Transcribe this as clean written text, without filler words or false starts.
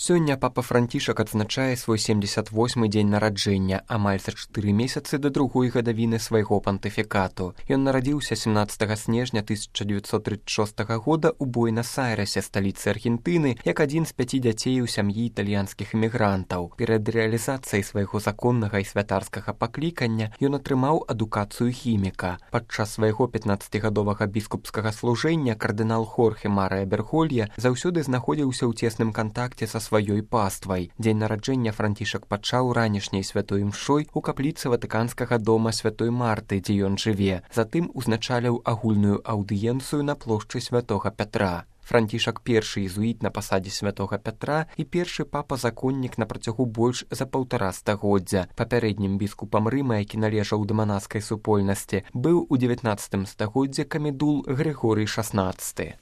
Сёння папа Францішак адзначае свой 78-й дзень нараджэння, амаль за 4 месяцы да другой гадавіны свайго пантыфікату. Ён нарадзіўся 17 снежня 1936 года ў Буэнас-Айрэсе, сталіцы Аргентыны, як адзін з 5 дзяцей у сям'і італьянскіх эмігрантаў. Перад рэалізацыяй свайго законнага і святарскага паклікання ён атрымаў адукацыю хіміка. Падчас свайго 15гадовага біскупскага служэння кардынал Хорхе Марыя Берголья заўсёды знаходзіўся ў цесным кантакце са сваёй паствай. Дзень нараджэння Францішак пачаў ранішняй святой імшой у капліцы Ватыканскага дома святой Марты, дзе ён жыве. Затым узначаліў агульную аўдыенцыю на плошчы святога Пятра. Францішак першы езуіт на пасадзе святога Пятра і першы папа-законнік на працягу больш за 1,5 стагоддзя. Папярэднім біскупам Рыма, які належаў да манаскай супольнасці, быў у 19 стагоддзі камедул Грыгорый XVI.